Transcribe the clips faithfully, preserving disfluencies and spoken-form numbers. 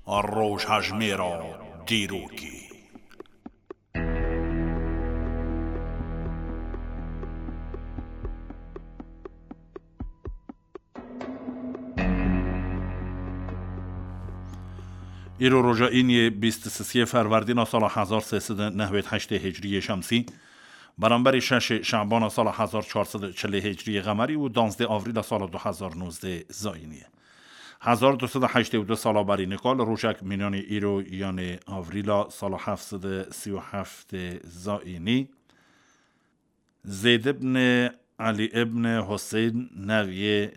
Rojhejmêra dîrokê. Îro roja îniyê bîst û sisê Ferwerdîna sala hezar sê sed û nehwêd heştê Hicriyê Şemsî, beramberî şeşê Şebana sala hezar çar sed û çilê Hicriyê Qemerî û danzdê Avrîla sala du hezar nozdeh Zayînî ye. Hezar du sed û heştê û du sala berî nika li rojek mînanî îro, yanê Avrîla sala heft sed û sî û heft Zayînî, Zeyd ibn Elî ibn Huseyn, neviyê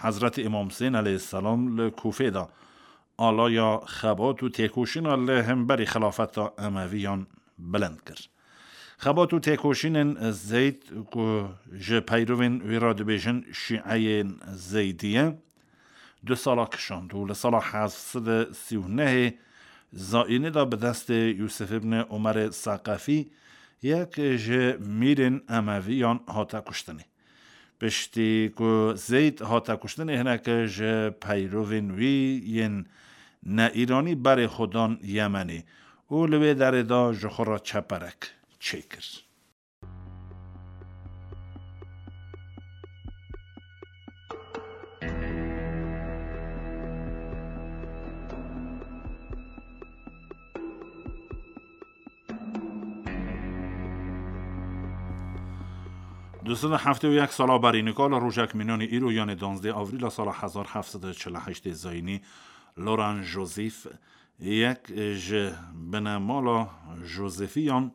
Hezretî Îmam Huseyn aleyhisselam, li Kûfê de alaya xebat û têkoşîna li hemberî xilafeta Emeviyan bilind kir. Xebat û têkoşînên Zeyd, ku ji peyrovên wî re dibêjin Şîeyên Zeydiye, du sala kişand û li sala heft sed û sî û nehê Zayînî de bi destê Yûsif ibn Umerê Seqefî, yek ji mîrên Emeviyan, hate kuştinê. Piştî ku Zeyd hate kuştinê, hinek ji peyrovên wî yên ne îranî berê xwe dan Yemenê û li wê derê de ji xwe re çeperek çêkir. Du sed û heftê û yek sala berî nika li rojek mînanî îro, yanê danzdê Avrîla sala hezar heft sed û çil û heştê Zayînî, Laurent Joseph, yek ji binemala Josephiyan,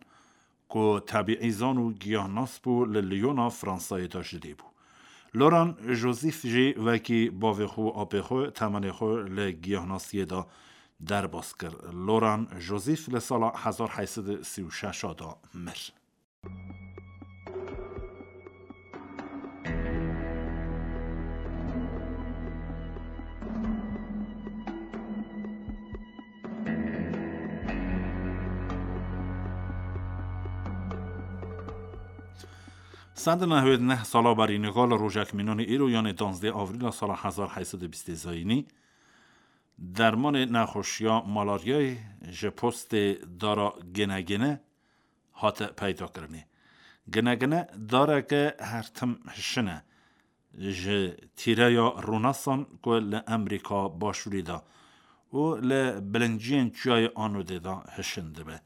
ku tebîîzan û giyahnas bû, li Lyona Fransayê de ji dê bû. Laurent Joseph jî wekî bavê xwe û apê xwe temenê xwe li giyahnasiyê de derbas kir. Laurent Joseph li sala hezar heyt sed û sî û şeş de mir. Sed û nehwêd neh sala berî nika li rojek mînanî îro, yanê danzdê Avrîla sala hezar heyt sed û bîstê Zayînî, dermanê nexweşiya malaryayê ji postê dara Ginegine hate peydakirinê. Ginegine dareke her tim hişin e, ji tîreya Rûnesan ku li Emerîka Başûrî de û li bilinciyên Çiyayê Anodê de hişin dibe.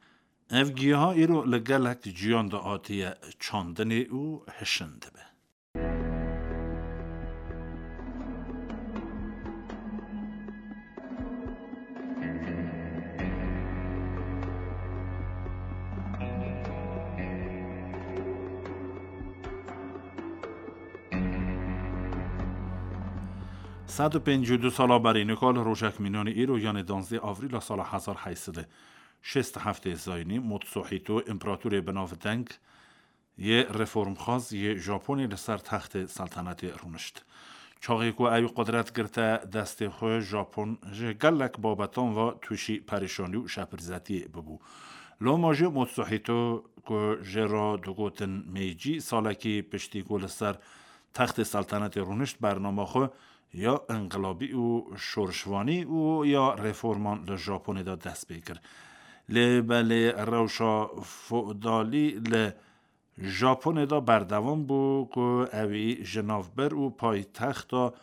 Ev giyaha îro li gelek ciyan de hatiye çandinê û hişin dibe. Sed û pêncî û du sala berî nika li rojek mînanî îro, yanê danzdê Avrîla sala hezar heyt sed û şêst û heftê Zayînî, Mutsuhîto, împeratorê binavdeng yê reformxwaz yê Japonê li ser textê seltenetê rûnişt. Çaxê ku ew qudret girte destê xwe, Japon ji gelek babetan ve tûşî perîşanî û şepirzetiyê bibû. Loma jî Mutsuhîto, ku jê re digotin Meîcî, salekî piştî ku li ser textê seltenetê rûnişt, bernama xwe ya inqilabî û şorişvanî û ya reforman li Japonê de dest pê kir. Lê belê rewşa feodalî li Japonê de berdewam bû ku ewî ji navber û paytexta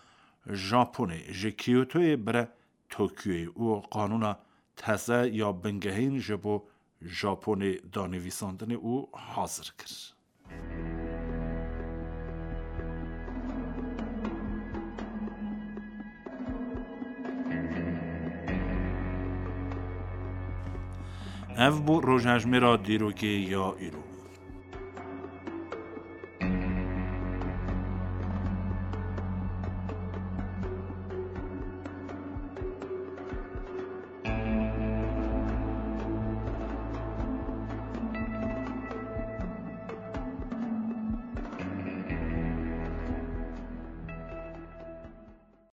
Japonê, ji Kyotoyê bire Tokyoyê û qanûna teze ya bingehîn ji bo Japonê danivîsandinê û hazir kir. Ev bû rojhejmêra dîrokê ya îro.